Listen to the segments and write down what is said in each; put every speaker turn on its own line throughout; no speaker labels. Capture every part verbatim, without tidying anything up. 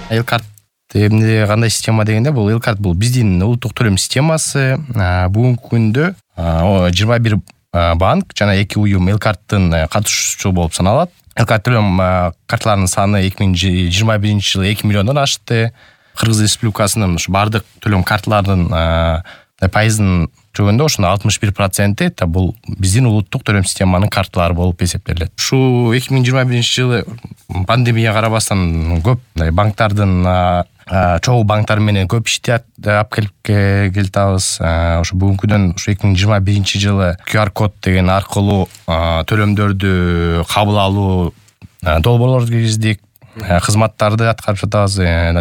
Элкарт эмне кандай система дегенде, бул Элкарт бул биздин улуттук төлөм системасы. Бүгүнкү күндө жыйырма бир банк жана эки уюм Элкарттын катышуучусу болуп саналат. Элкарт төлөм карталарынын саны эки миң жыйырма биринчи жылы эки миллиондон ашты. Кыргыз Республикасынын ушу бардык төлөм карталарынын пайызын жөгөндө ошондо алтымыш бир проценти бул биздин улуттук төлөм системанын карталары болуп эсептелет. Ушу эки миң жыйырма биринчи жылы пандемия карабастан көп банктардын чогуу банктар менен көп ишти алып келип келатабыз. Ошо бүгүнкү күндөн ушу эки миң жыйырма биринчи жылы ку ар код деген аркылуу төлөмдөрдү кабыл алуу долбоорлорду киргиздик. Кызматтарды аткарып жатабыз.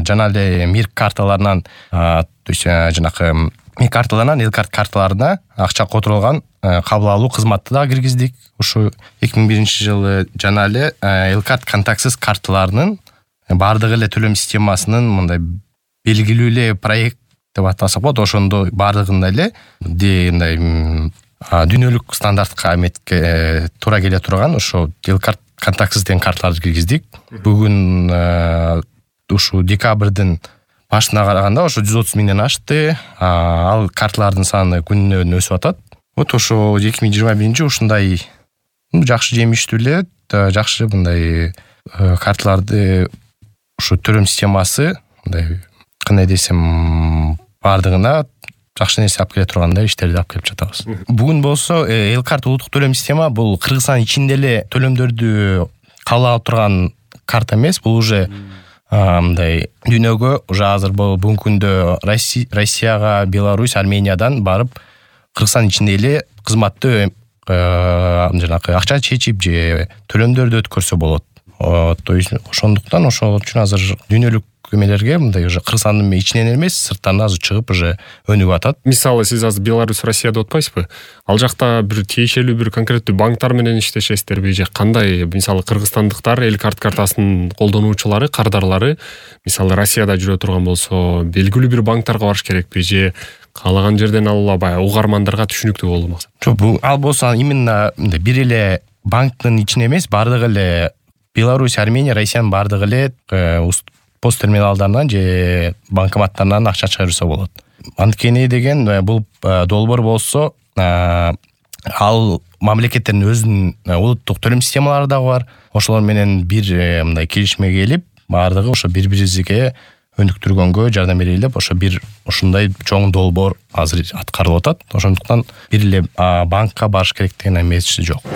Жана эле мир карталарынан, то есть жанакы мир карталарынан Элкарт карталарына акча которулган кабыл алуу кызматты да киргиздик. Ушу эки миң биринчи жылы жана эле Элкарт контактсыз карталарынын бардык эле төлөм системасынын мындай белгилүү эле проект деп атасак болот. Ошондо бардыгында эле мындай дүйнөлүк стандартка эметке туура келе турган ошо Элкарт контактсыз деген карталарды киргиздик. Бүгүн ушу декабрдын башына караганда ошо жүз отуз миңден ашты. Ал карталардын саны күнүнөн өсүп атат. Вот ошо эки миң жыйырма биринчи ушундай жакшы жемиштүү эле, жакшы мындай карталарды ушу төлөм системасы мындай кандай десем бардыгына жакшы нерсе алып келе тургандай иштерди алып келип жатабыз. Бүгүн болсо Элкарт улуттук төлөм система бул Кыргызстан ичинде эле төлөмдөрдү кабыл алып турган карта эмес. Бул уже мындай дүйнөгө уже азыр бүгүнкү күндө Россияга, Беларусь, Армениядан барып Кыргызстан ичинде эле кызматты жанакы акча чечип же төлөмдөрдү өткөрсө болот. То есть ошондуктан ошол үчүн азыр дүйнөлүк эмелерге мындай уже Кыргызстандын ичинен эмес, сырттан азыр чыгып уже өнүгүп атат.
Мисалы сиз азыр Беларусь, Россия деп атпайсызбы? Ал жакта бир тиешелүү бир конкреттүү банктар менен иштешесиздерби же кандай? Мисалы кыргызстандыктар Элкарт картасынын колдонуучулары, кардарлары мисалы Россияда жүрө турган болсо, белгилүү бир банктарга барыш керекпи же каалаган жерден алып баягы угармандарга түшүнүктүү болду максат?
Жок, бул ал болсо именно бир эле банктын ичинде эмес, бардык эле Беларусь, Армения, Россиянын бардык эле пост терминалдарынан же банкоматтарынан акча чыгарса болот. Анткени деген бул долбоор болсо, ал мамлекеттердин өзүнүн улуттук төлөм системалары дагы бар. Ошолор менен бир мындай келишимге келип, бардыгы ошо бири-бирибизге өнүктүргөнгө жардам берели деп, ошо бир ушундай чоң долбоор азыр аткарылып атат. Ошондуктан бир эле банкка барыш керек деген эмеси жок.